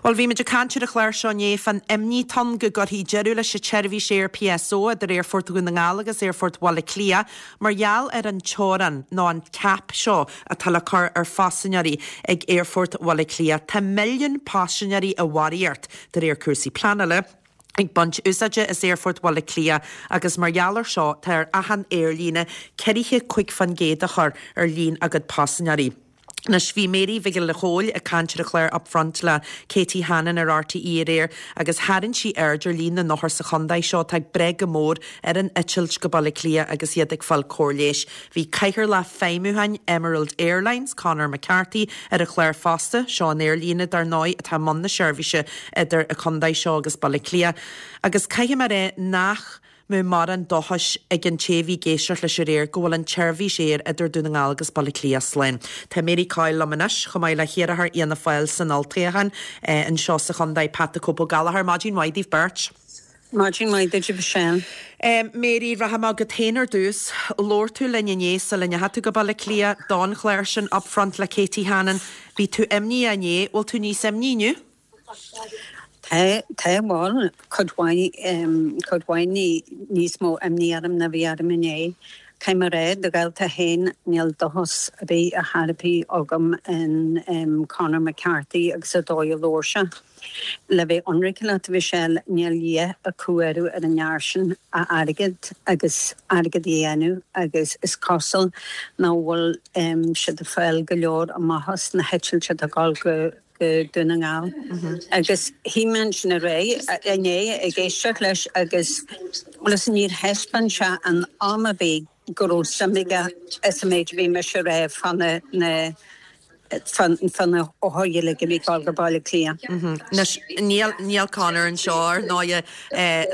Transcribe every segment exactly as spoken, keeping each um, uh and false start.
Bhuel, bhí muid ag caint ar an chlár seo inné fán imní atá ann go gcuirfí deireadh leis an tseirbhís aeir PSO idir Aerfort Dhún na nGall agus Aerfort Bhaile Átha Cliath mar gheall ar an teorainn nó an cap seo atá le cur ar phaisinéirí ag Aerfort Bhaile Átha Cliath. Tá milliún paisinéirí i bharraíocht de réir cúrsaí pleanála ag baint úsáide as Aerfort Bhaile Átha Cliath agus mar gheall air seo tá ar achan aerlíne ceathracha cúig faoin gcéad a chur ar líon a gcuid paisinéirí. Anois bhí Mary Mhicil Chóil ag caint ar an chlár Upfront le Katie Hannon ar RTÉ aréir agus tharraing sí aird ar líon na n-othar sa chontae seo atá ag brath go mór ar an eitilt go Baile Átha Cliath agus iad ag fáil cóir leighis. Bhí Cathaoirleach Feidhmiúcháin Emerald Airlines, Conor McCarthy, ar an chlár fosta, seo an aerlíne dar ndóigh atá i mbun na seirbhíse idir an contae seo agus Baile Átha Cliath. Agus caithfidh mé a rá nach mbeadh mórán dóchais ag an té a bhí ag éisteacht leis aréir go bhfuil an tseirbhís aeir idir Dún na nGall agus Baile Átha Cliath slán. Tá Mary Coyle liom anois chomh maith le hiarrthóir Fhianna Fáil san olltoghchán anseo sa chontae Pat the Cope Ó Gallchóir. Maidin mhaith daoibh beirt. Maidin mhaith duit Michelle. Um, Mary rachaidh mé chugat féin ar dtús, labhair tú linn inné sula ndeachaigh tú go Baile Átha Cliath don chlár sin Upfront le Katie Hannon. Bhí tú imní inné, bhfuil tú níos imní inniu? Tá tá bhfuil cuid mhaith cuid mhaith níos mó imní orm ná bhí orm inné. Caithfidh mé a rá do dhalta féin níl dóchas ar bith ar chor ar bith agam in um, Conor McCarthy agus an dóigh a labhair sé. Le bheith ionraic leat Michelle níl a dhath acu ar ar an fhear sin ach airgead agus airgead a dhéanamh agus is cosúil nach bhfuil um, siad ag fáil go leor amach as na heitiltí atá ag dul go go Dún na nGall. Agus shuigh mé ansin aréir inné ag éisteacht leis agus leis níor thaispeáin sé an am a bhí go raibh suim aige is an méid a bhí mise rá fá na na fá na hothair uilig a bhí ag dul go Baile Átha Cliath. Anois níl níl Conor anseo ar ndóigh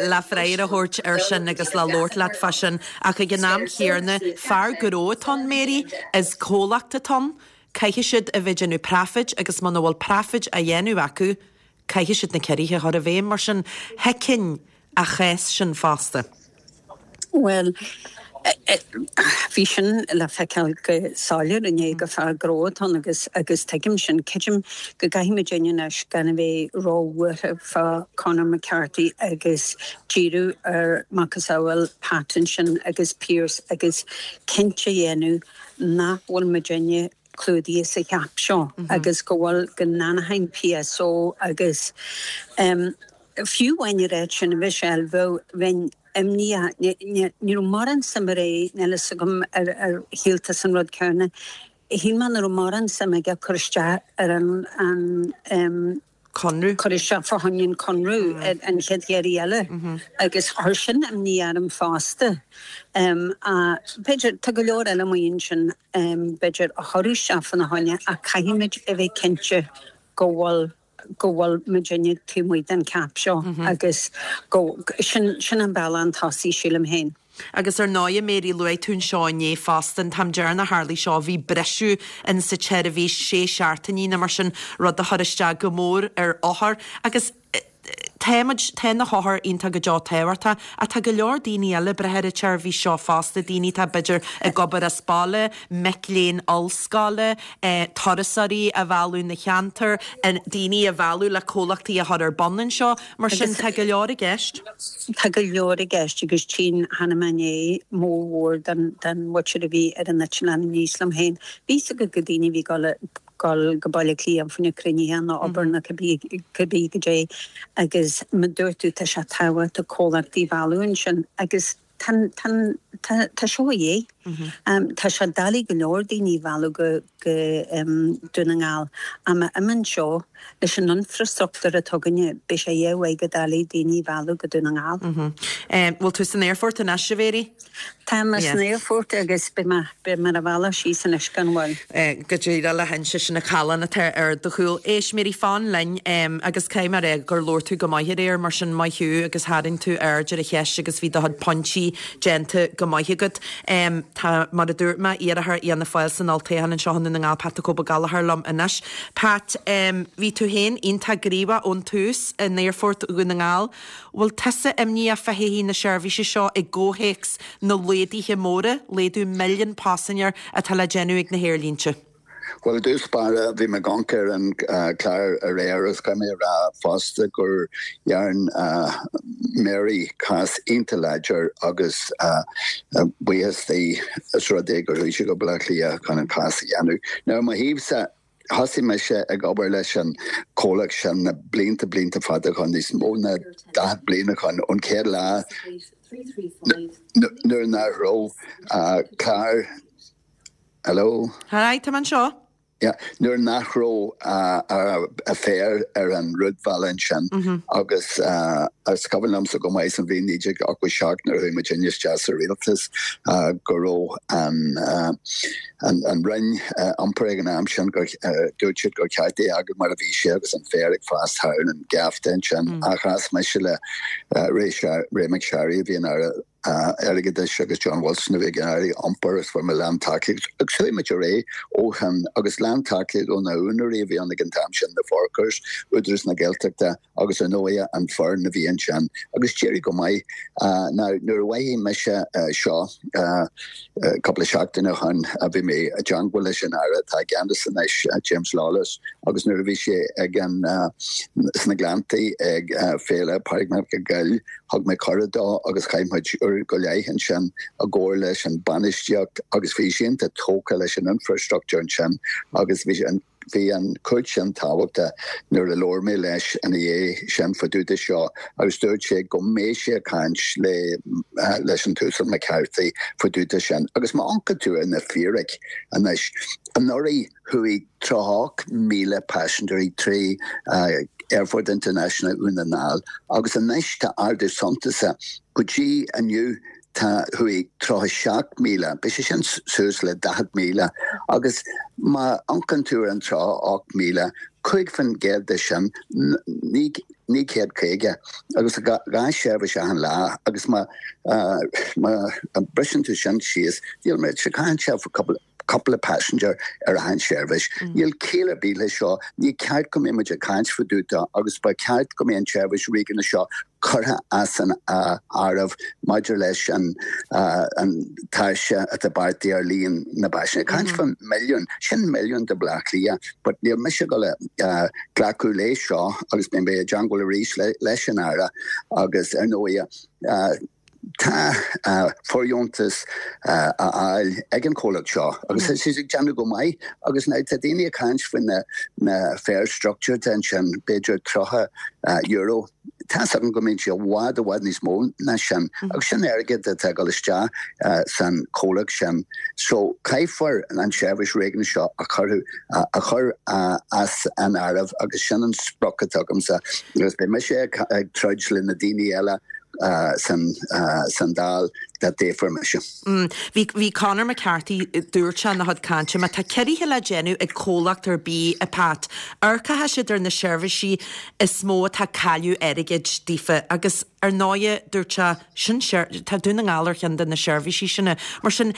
le freagra a thabhairt ar sin agus le labhairt leat fá sin ach ag an am chéanna fear gnó atá ann Mary is comhlacht atá ann, caithfidh siad a bheith ag déanamh profit agus muna bhfuil profit á dhéanamh acu, caithfidh siad na ciorruithe a chur i bhfeidhm mar sin thuigfinn a chás sin fosta. Well, bhí sin le feiceáil go soiléir inné gur fear gnó atá ann agus agus tuigim sin creidim go gcaithfimid anois gan a bheith róbhuartha fá Conor McCarthy agus díriú ar macasamhail Pat ansin agus Pearse agus cinnte a dhéanamh nach bhfuil muidinne clúdaithe sa cheap seo agus go bhfuil go n-anachain PSO agus um, fiú amháin rá sin a Michelle bheith bheinn imní ní mar an samré níl a fhios agam ar ar shíl tusa an rud céanna. Shíl mé nach raibh mórán suim aige cur isteach ar an an um, Conradh. Cur isteach fá choinne an conradh ar an chéad iarraidh eile agus chuir sin imní orm fosta. Um, a b'fhéidir tá go leor eile amuigh ansin um, b'fhéidir a chuir isteach fána choinne ach caithfimid a bheith cinnte go bhfuil go bhfuil muidinne taobh amuigh den cap seo agus go sin sin an bealach an tosaí sílim féin. Agus ar ndóigh Mary luaigh tú anseo inné fosta an t-am deireanach a tharlaigh seo bhí briseadh in sa tseirbhís sé seachtainí nó mar sin rud a chuir isteach go mór ar othair agus Táimid tá na hothair iontach go deo tábhachtach ach tá go leor daoine eile ag brath ar an tseirbhís seo fosta, daoine atá b'fhéidir ag obair as baile, mic léinn ollscoile, eh, turasóirí a mhealladh na ceantar, daoine a mhealladh le comhlachtaí a chur ar bun anseo, mar sin tá go leor i gceist. Tá go leor i gceist agus tchíonn cheana mé inné mórmhór den den mhuintir a bhí ar an eitleán aníos liom féin. Bhí go go daoine bhí go gol go Baile Átha Cliath fá choinne cruinnithe nó obair nó cibé cibé go dté agus mar a dúirt tú tá sé tábhachtach comhlachtaí a mhealladh ansin agus tá tá tá tá seo a dhé. Um, tá sé doiligh go leor daoine a mhealladh go go um, Dún na nGall. Am im seo leis an infrastruchtúr atá againne beidh sé dheabhaidh go doiligh daoine a mhealladh go Dún na nGall. Um, bhfuil tú san aerfort anois a Mhary? Tá mé san aerfort agus beidh mé beidh mé ar bhealach síos anois gan mhoill. Eh, go dtí le hinse sin na callán atá ar do chúl. Éist Mary fan linn um, agus cé mar é gur labhair tú go maith aréir mar sin maith thú agus tharraing tú aird ar an cheist agus bhí do chuid pointí déanta go maith agat. Um, tá mar a dúirt mé iarrthóir Fhianna Fáil san olltoghchán anseo na nGall Pat the Cope Ó Gallchóir liom anois. Pat um, bhí tú féin iontach gníomhach ón tús in aerfort Dhún na nGall. Bhfuil tusa imníoch fá thodhchaí na seirbhíse seo i gcomhthéacs na laghduithe móra, laghdú milliún paisinéir atá le déanamh ag na haerlínte. Well, i dtús báire, bhí mé ag amharc ar an clár aréir agus caithfidh mé a rá fosta gur dhearn Mary cás iontach láidir agus buíochas di as rud é gur chuaigh sí go Baile Átha Cliath chun an cás a dhéanamh. Now, mo thaobhsa, thosaigh mise ag obair leis an comhlacht sin na blianta blianta fada ó shin, níos mó ná daichead bliain ó shin, ón chéad lá nuair nach raibh clár. Hello? Hi, tá mé anseo. Yeah, nuair nach raibh a féar ar an rúidbhealach ansin agus is cuimhin liomsa go maith san bhliain naoi déag ochtó seacht nuair a chuaigh muidinne isteach sa rialtas go raibh an an Roinn Iompair ag an am sin gur dúirt siad gur ceart é a fhágáil mar a bhí sé agus an féar ag fás thar an geafta ansin ach chas mise le Ray Ray McSharry a bhí ina Aire Airgeadais agus John Wilson a bhí ina Aire Iompair agus fuair mé lántacaíocht agus chuaigh muid ar aghaidh ó shin agus lántacaíocht ó na húinéirí a bhí ann ag an t-am sin, na Forkers, Údarás na Gaeltachta agus ar ndóigh an foireann a bhí ansin agus d'éirigh go maith. Now nuair a mhothaigh mise seo cúpla seachtain ó shin bhí mé i dteangmháil leis an Aire atá i gceannas anois, James Lawless, agus nuair a bhí sé ag an sna Gleanntaí ag Féile Pádraig Mac Gill, Thug mé cuireadh dó agus chaith muid uair go leith ansin i gcomhar leis an bainistíocht agus bhí sé iontach tógtha leis an infrastructure ansin agus bhí an bhí an chuid sin tábhachtach nuair a labhair mé leis ina dhiaidh sin fá dtaobh de seo agus dúirt sé go mbeidh sé ag caint le leis an tUasal McCarthy fá dtaobh de sin agus má amharcann tú ar na fíric anois anuraidh chuaigh tríocha ocht míle paisinéirí trí Aerfort International Dhún na nGall agus anois tá ardú suntasach go dtí inniu tá chuaigh tríocha seacht míle, beidh sé sin suas le daichead míle agus má amharcann tú ar an tríocha ocht míle, cúig faoin gcéad de sin, naoi naoi chéad caoga agus dhá sheirbhís achan lá agus má má briseann tú sin síos, níl mé, caitheann sé cúpla cúpla passenger ar achan seirbhís. Níl ciall ar bith leis seo, ní ceart go mbeidh muid ag caint fá dtaobh de agus ba cheart go mbeidh an tseirbhís riaghna seo curtha as an áireamh maidir leis an an tairse atá beartaithe ar líon na bpaisinéirí. Caint fá milliún, sin milliún do Bhleá Cliath, but níl mise ag dul a glacadh léi seo agus beidh mé i dteangmháil arís leis an Aire agus ar ndóigh Tá fóirdheontas á fháil ag an chomhlacht seo agus tá siad ag déanamh go maith agus now tá daoine ag caint faoi na na fare structure atá ansin, b'fhéidir tríocha euro. Tá 's agam go mbíonn sé i bhfad i bhfad níos mó ná sin agus sin airgead atá ag dul isteach san chomhlacht sin. So caithfear an tseirbhís réigiúnach seo a chur a chur as an áireamh agus sin an sprioc atá agamsa agus beidh mise ag troid le na daoine eile san Dáil dá dtoghfar mise. Bhí bhí Conor McCarthy, dúirt sé ina chuid cainte, má tá ciorruithe le déanamh ag comhlacht ar bith, a Pat, amharcfaidh siad ar na seirbhísí is mó atá ag cailleadh airgid daofa agus ar ndóighe, dúirt sé, sin tá Dún na nGall ar cheann de na seirbhísí sin. Mar sin,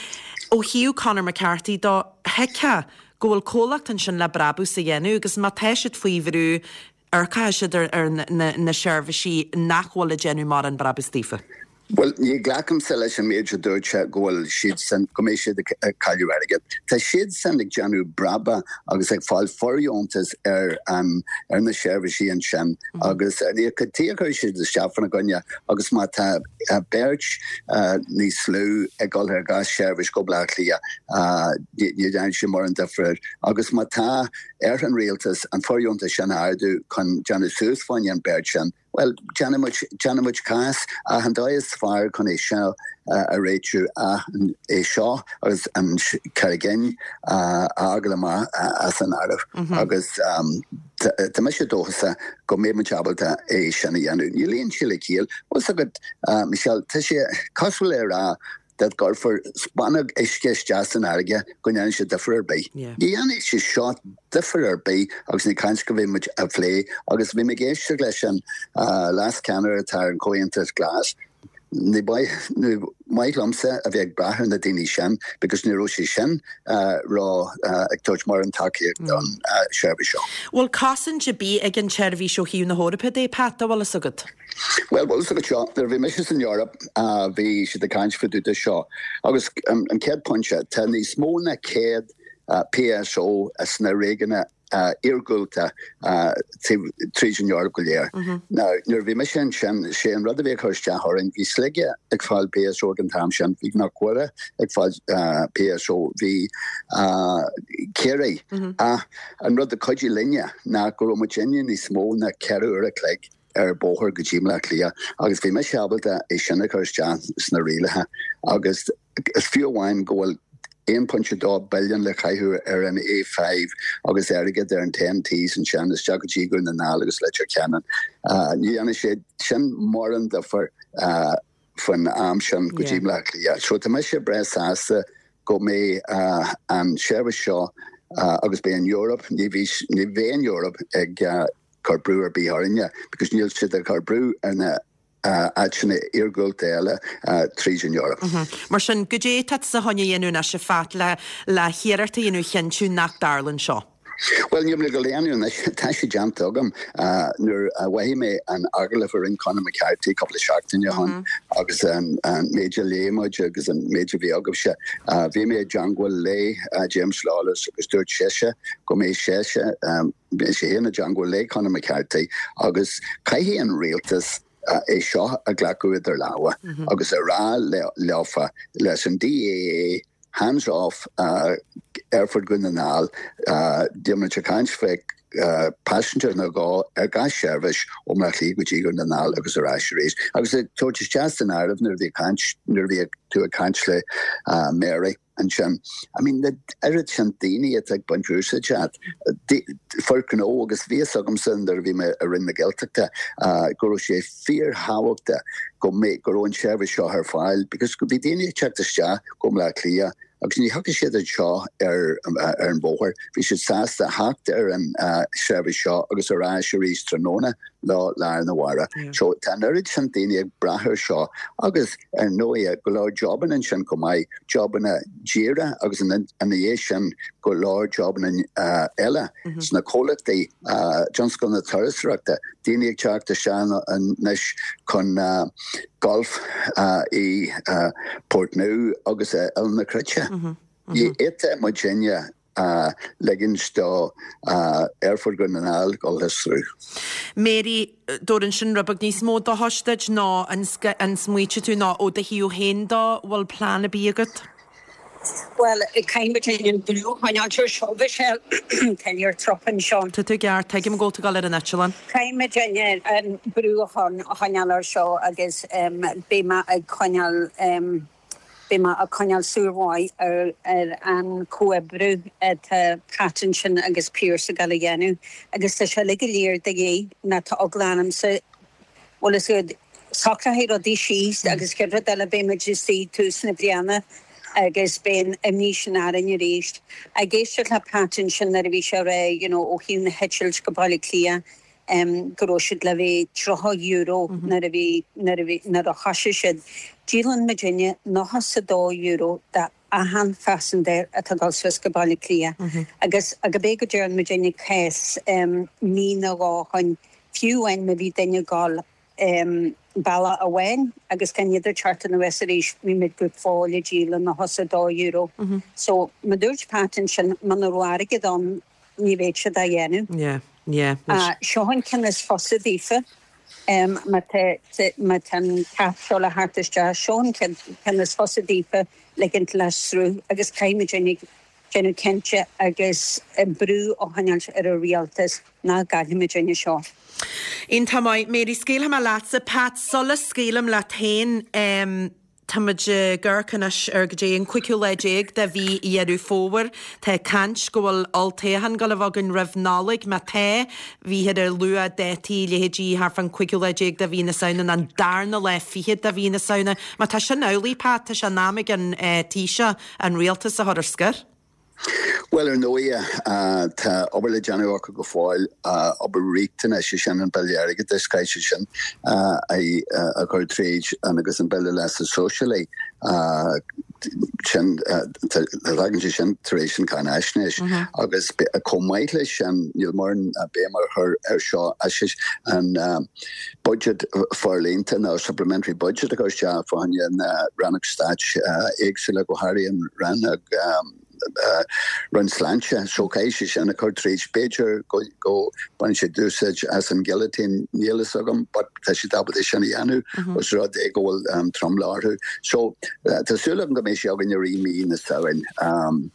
ó thaobh Conor McCarthy dó, thuigfeá go bhfuil comhlacht ansin le brabús a dhéanamh agus má tá siad faoi bhrú, Amharcfaidh siad ar na seirbhísí nach bhfuil ag déanamh mórán brabús daofa. Bhuel, ní ghlacaimse leis an méid a dúirt sé go bhfuil siadsan, go mbeidh siad ag cailleadh airgid. Tá siadsan ag déanamh brabach agus ag fáil fóirdheontas ar an, ar na seirbhísí ansin agus ní cad chuige a gcuirfidh siad isteach faoina gcoinne agus má tá beirt níos lú ag dul ar gach seirbhís go Baile Átha Cliath, ní dhéanfaidh sé mórán difear agus má tá ar an rialtas an fóirdheontas sin a ardú chun déanamh suas fá choinne an beirt sin, bhuel, déanfaidh muid, déanfaidh muid cás ach an dóigh is fearr chun é seo a réitiú ach é seo agus an Carrigeen a fhágáil amach as an áireamh agus tá mise dóchasach go mbeidh muid ábalta é sin a dhéanamh. Níl aon chiall le ciall. Bhfuil 's agat, Michelle, tá sé cosúil le rá dá gcuirfear spúnóg uisce isteach san fharraige go ndéanfaidh sé difear ar bith. Ní dhéanfaidh sé seo difear ar bith agus ní caint go bhí muid a phlé agus bhí mé ag éisteacht leis an leas-cheannaire atá ar an Chomhaontas Glas. Ní maith liomsa a bheith ag brath ar na daoine sin because ní raibh sé sin ró ag tabhairt mórán tacaíocht don seirbhís seo. Bhfuil cosaint ar bith ag an tseirbhís ó thaobh na hEorpa de, Pat, an bhfuil fhios agat? Bhuel, bhfuil fhios agat seo, nuair a bhí mise san Eoraip, bhí siad ag caint fá dtaobh de seo agus an chéad pointe, tá níos mó ná céad PSO sna réigiúin iargúlta tríd an Eoraip go léir. Now nuair a bhí mise ansin sé an rud a bhí ag cur isteach orainn bhí Sligeach ag fáil PSO ag an t-am sin, bhí Cnoc Mhuire ag fáil PSO, bhí Ciarraí ach an rud a chuidigh linne ná go raibh muidinne níos mó ná ceithre uair a chloig ar bóthar go dtí Bleá Cliath agus bhí mise ábalta é sin a chur isteach sna rialacha agus is fiú amháin go bhfuil aon pointe dó billiún le caitheamh ar an A five agus airgead ar an Ten Ts ansin isteach go dtí Dún na nGall agus Leitir Ceanainn. Ní dhéanfaidh sé sin mórán difear faoin am sin go dtí Bleá Cliath. So tá mise breá sásta go mbeidh an seirbhís seo agus beidh an Eoraip, ní bheidh an Eoraip ag cur brú ar bith orainne because níl siad ag cur brú ar na áiteanna iargúlta eile tríd an Eoraip. Mar sin, goidé tá tusa chun a dhéanamh anois a Phat le le hiarracht a dhéanamh chinntiú nach dtarlaíonn seo? Bhuel, níl mé ag dul a dhéanamh anois, tá sé déanta agam. Nuair a mhothaigh mé an agallamh a rinne Conor McCarthy cúpla seachtain ó shin agus an méid a léigh muid agus an méid a bhí agaibhse, bhí mé i dteangmháil le James Lawless agus dúirt seisean go mbeidh seisean, beidh sé féin i dteangmháil le Conor McCarthy agus caithfidh an rialtas é seo a ghlacadh idir lámha agus a rá leofa, leis an DAA, hands off Aerfort Dhún na nGall, níl muid ag caint fé passengers nó go ar gach seirbhís ó Bhaile Átha Cliath go dtí Dún na nGall agus ar ais arís. Agus ag tabhairt isteach san áireamh nuair a bhí caint, nuair a bhí tú ag caint le Mary ansin, I mean na oiread sin daoine atá ag baint úsáid as, fir gnó agus bhí fhios agamsa nuair a bhí mé i Roinn na Gaeltachta go raibh sé fíorthábhachtach go mbeadh, go raibh an tseirbhís seo ar fáil because bhí daoine ag teacht isteach go Baile Átha Cliath agus ní thiocfadh siad anseo ar ar an bhóthar, bhí siad sásta theacht ar an seirbhís seo agus ar ais arís tráthnóna lá lá arna mhárach. So tá an oiread sin daoine ag brath ar seo agus ar ndóigh go leor jobanna ansin chomh maith, jobanna díreach agus ina dhiaidh sin go leor jobanna eile sna comhlachtaí tionscal na turasóireachta, daoine ag teacht isteach anois chun golf i Portnoo agus i Oileán na Cruite. Ní fhéadfadh muidinne ligint do Aerfort Dhún na nGall dul thar sruth. Mary, dtabharann sin rud beag níos mó dóchais duit nó an smaoitigh tú nó ó do thaobh féin dó, bhfuil plean ar bith agat? Bhuel, caithfidh muid an brú a choinneáil ar seo, Michelle, tá an trup anseo. Tá tú ceart, tuigim go bhfuil tú ag dul ar an eitleán. Caithfidh muid an brú a choinneáil ar seo agus beidh mé ag coinneáil, beidh mé ag coinneáil súil mhaith ar an comhoibriú atá Pat ansin agus Pearse ag dul a dhéanamh agus tá sé uilig go léir de dhíth nó tá eagla ormsa Bhuel is iad socraithe rudaí síos agus chéad rud eile beidh muid istigh tús na bliana agus beidh an imní sin orainn arís. Ag éisteacht le Pat ansin nuair a bhí sé ag rá you know ó thaobh na heitilt go Baile Átha Cliath em go raibh siad le bheith tríocha euro nuair a bhí nuair a bhí nuair a thosaigh siad. Díolann muidinne nócha is a dó euro de achan phaisinéir atá ag dul suas go Baile Átha Cliath agus go bé go dtearn muidinne cás em mí nó dhó ó shin fiú amháin má bhí duine ag dul bealach amháin agus gan iad ag teacht anuas arís bhí muid go fóill ag díol nócha is a dó euro. So mar dúirt Pat ansin muna raibh airgead ann ní bheadh siad á dhéanamh. Yeah, yeah. Seo an ceann is fusa daofa má tá má tá an cap seo le theacht isteach seo an ceann is fusa daofa ligint le sruth agus caithfidh muid uilig déanamh cinnte agus brú a choinneáil ar an rialtas nach gcaillfidh muidinne seo. Iontach maith. Mary, scaoilfidh mé leatsa. Pat, sula scaoilim leat féin, tá muid ag amharc anois ar go dtí an cúigiú lá déag de mhí Dheireadh Fómhair. Tá caint go bhfuil olltoghchán ag dul a bheith againn roimh Nollaig. Má tá, bhíthear ag lua dátaí, leithéidí thart fán cúigiú lá déag de mhí na Samhna nó an darna lá fichead de mhí na Samhna. Má tá sin amhlaidh, Pat, tá sé in am ag an Taoiseach an rialtas a chur ar scor. Bhuel, ar ndóigh, tá obair le déanamh acu go fóill, obair riachtanach, sé sin an Bille Airgeadais, caithfidh siad sin a chur tríd agus an Bille Leasa Sóisialaigh, sin, tagann sé sin tar éis an cháinaisnéis. Agus chomh maith leis sin, níl mórán béim á chur air seo, an budget forlíonta nó supplementary budget a chur isteach fá choinne na rannóg stáit éagsúla, go háirithe an rannóg, Roinn Sláinte so caithfidh sé sin a chur tríd b'fhéidir go go baineann siad úsáid as an guillotine níl a fhios agam but tá siad ábalta sin a dhéanamh os rud é go bhfuil um, tromlach orthu. So uh, tá súil agam go mbeidh sé againn i rith mí na Samhna. Um,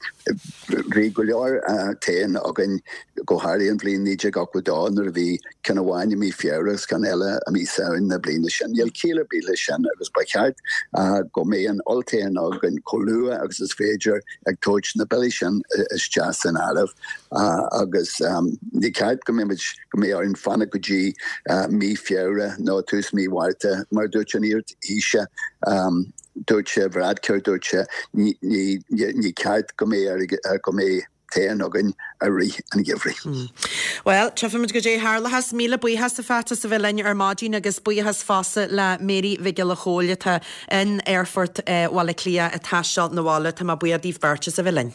bhí go leor uh, toghchán againn go háirithe an bhliain naoi déag ochtó dó nuair a bhí ceann amháin i mí Feabhra agus ceann eile i mí Samhain na bliana sin. Níl ciall ar bith leis sin agus ba cheart uh, go mbeidh an olltoghchán againn chomh luath agus is féidir ag tabhairt na billí sin isteach san áireamh uh, agus um, ní ceart go mbeidh go mbeidh orainn fanacht go dtí uh, mí Feabhra nó tús mí Mhárta mar dúirt an iar-Thaoiseach um, dúirt sé Varadkar dúirt sé ní, ní, ní ceart go mbeidh go mbeidh toghchán againn i rith an gheimhridh. Mm. Well, tchífimid goidé a tharlós míle buíochas a Phat as a bheith linn ar maidin agus buíochas fosta le Mary Mhic Giolla Chóill atá in Aerfort uh, Bhaile Átha Cliath ag taisteal 'na bhaile tá mé buíoch díobh beirt as a bheith linn.